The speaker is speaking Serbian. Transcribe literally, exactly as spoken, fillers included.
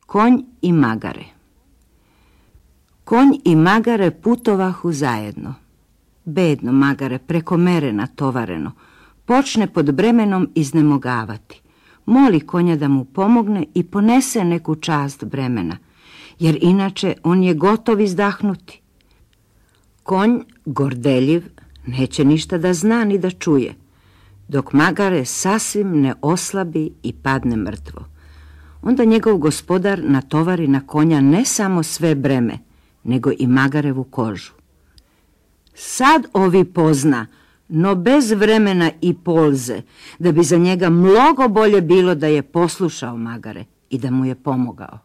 Konj i magare. Konj i magare putovahu zajedno. Bedno magare, preko mere natovareno, počne pod bremenom iznemogavati. Moli konja da mu pomogne i ponese neku čast bremena, jer inače on je gotov izdahnuti. Konj, gordeljiv, neće ništa da zna ni da čuje, dok magare sasvim ne oslabi i padne mrtvo. Onda njegov gospodar natovari na konja ne samo sve breme, nego i magarevu kožu. Sad ovi pozna, no bez vremena i polze, da bi za njega mnogo bolje bilo da je poslušao magare i da mu je pomogao.